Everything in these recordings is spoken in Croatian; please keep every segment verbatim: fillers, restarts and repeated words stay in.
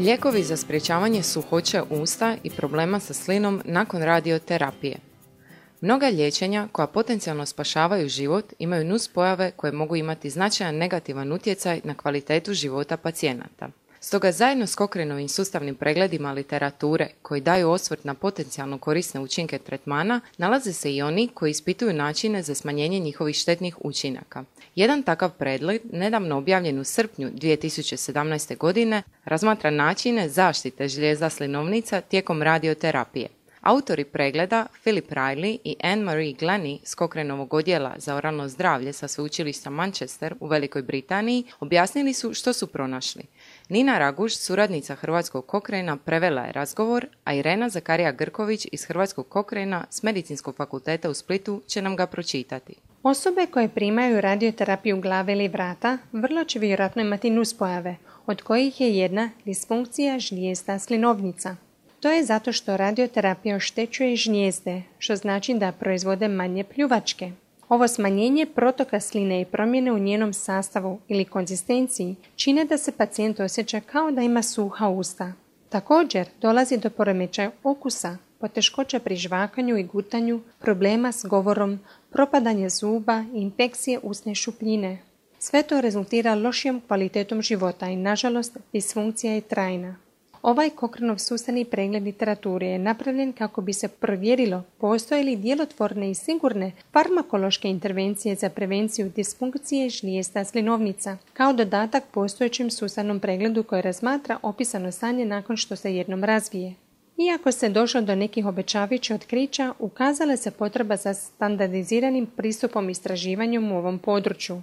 Lijekovi za sprječavanje suhoće usta i problema sa slinom nakon radioterapije. Mnoga liječenja koja potencijalno spašavaju život imaju nuspojave koje mogu imati značajan negativan utjecaj na kvalitetu života pacijenata. Stoga zajedno s Cochraneovim sustavnim pregledima literature koji daju osvrt na potencijalno korisne učinke tretmana, nalaze se i oni koji ispituju načine za smanjenje njihovih štetnih učinaka. Jedan takav pregled, nedavno objavljen u srpnju dvije tisuće sedamnaeste. godine, razmatra načine zaštite žlijezda slinovnica tijekom radioterapije. Autori pregleda, Philip Riley i Anne-Marie Glennie s Cochraneovog odjela za oralno zdravlje sa sveučilišta Manchester u Velikoj Britaniji, objasnili su što su pronašli. Nina Raguž, suradnica Hrvatskog Cochranea, prevela je razgovor, a Irena Zakarija-Grković iz Hrvatskog Cochranea s Medicinskog fakulteta u Splitu će nam ga pročitati. Osobe koje primaju radioterapiju glave ili vrata vrlo će vjerojatno imati nuspojave, od kojih je jedna disfunkcija žlijezda slinovnica. To je zato što radioterapija oštećuje žlijezde, što znači da proizvode manje pljuvačke. Ovo smanjenje protoka sline i promjene u njenom sastavu ili konzistenciji čine da se pacijent osjeća kao da ima suha usta. Također dolazi do poremećaja okusa, poteškoća pri žvakanju i gutanju, problema s govorom, propadanje zuba i infekcije usne šupljine. Sve to rezultira lošijom kvalitetom života i, nažalost, disfunkcija je trajna. Ovaj Cochraneov sustavni pregled literature je napravljen kako bi se provjerilo postoje li djelotvorne i sigurne farmakološke intervencije za prevenciju disfunkcije žlijezda slinovnica, kao dodatak postojećem sustavnom pregledu koji razmatra opisano stanje nakon što se jednom razvije. Iako se došlo do nekih obećavajućih otkrića, ukazala se potreba za standardiziranim pristupom istraživanjem u ovom području.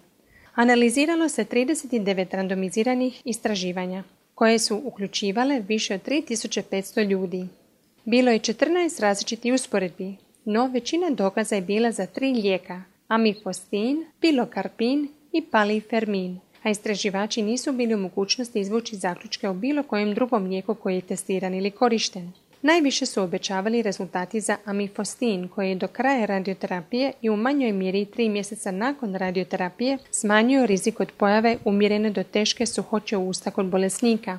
Analiziralo se trideset devet randomiziranih istraživanja, koje su uključivale više od tri tisuće petsto ljudi. Bilo je četrnaest različitih usporedbi, no većina dokaza je bila za tri lijeka, amifostin, pilokarpin i palifermin, a istraživači nisu bili u mogućnosti izvući zaključke o bilo kojem drugom lijeku koji je testiran ili korišten. Najviše su obećavali rezultati za amifostin, koji je do kraja radioterapije i u manjoj mjeri tri mjeseca nakon radioterapije smanjio rizik od pojave umjerene do teške suhoće usta kod bolesnika.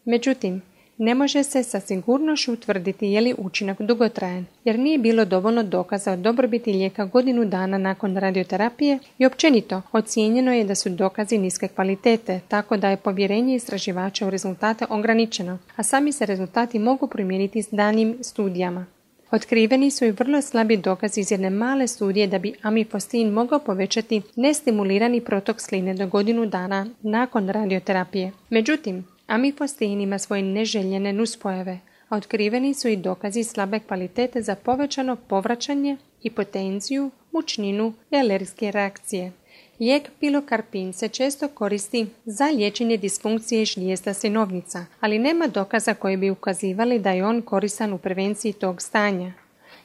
Međutim, ne može se sa sigurnošću utvrditi je li učinak dugotrajan, jer nije bilo dovoljno dokaza o dobrobiti lijeka godinu dana nakon radioterapije i općenito ocijenjeno je da su dokazi niske kvalitete, tako da je povjerenje istraživača u rezultate ograničeno, a sami se rezultati mogu primijeniti s daljnjim studijama. Otkriveni su i vrlo slabi dokazi iz jedne male studije da bi amifostin mogao povećati nestimulirani protok sline do godinu dana nakon radioterapije. Međutim, amifostin ima svoje neželjene nuspojave, a otkriveni su i dokazi slabe kvalitete za povećano povraćanje, hipotenziju, mučninu i alergijske reakcije. Lijek pilokarpin se često koristi za liječenje disfunkcije žlijezda slinovnica, ali nema dokaza koji bi ukazivali da je on koristan u prevenciji tog stanja.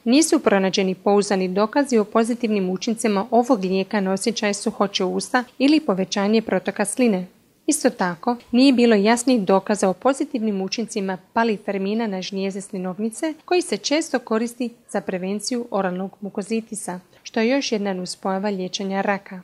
Nisu pronađeni pouzdani dokazi o pozitivnim učincima ovog lijeka na osjećaj suhoće usta ili povećanje protoka sline. Isto tako, nije bilo jasnih dokaza o pozitivnim učincima palifermina na žlijezde slinovnice, koji se često koristi za prevenciju oralnog mukozitisa, što je još jedna nuspojava liječenja raka.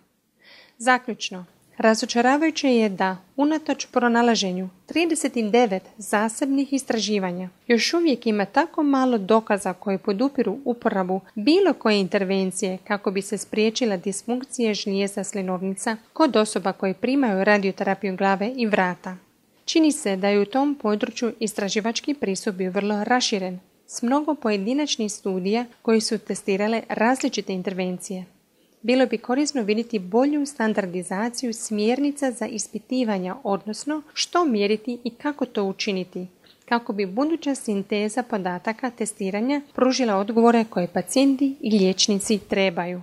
Zaključno, razočaravajuće je da, unatoč pronalaženju trideset devet zasebnih istraživanja, još uvijek ima tako malo dokaza koji podupiru uporabu bilo koje intervencije kako bi se spriječila disfunkcija žlijezda slinovnica kod osoba koje primaju radioterapiju glave i vrata. Čini se da je u tom području istraživački pristup bio vrlo raširen, s mnogo pojedinačnih studija koji su testirale različite intervencije. Bilo bi korisno vidjeti bolju standardizaciju smjernica za ispitivanja, odnosno što mjeriti i kako to učiniti, kako bi buduća sinteza podataka testiranja pružila odgovore koje pacijenti i liječnici trebaju.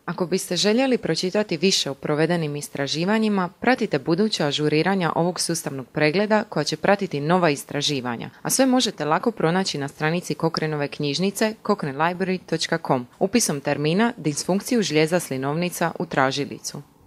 Ako biste željeli pročitati više o provedenim istraživanjima, pratite buduća ažuriranja ovog sustavnog pregleda koja će pratiti nova istraživanja, a sve možete lako pronaći na stranici Cochraneove knjižnice cochrane library dot com upisom termina disfunkciju žlijezda slinovnica u tražilicu.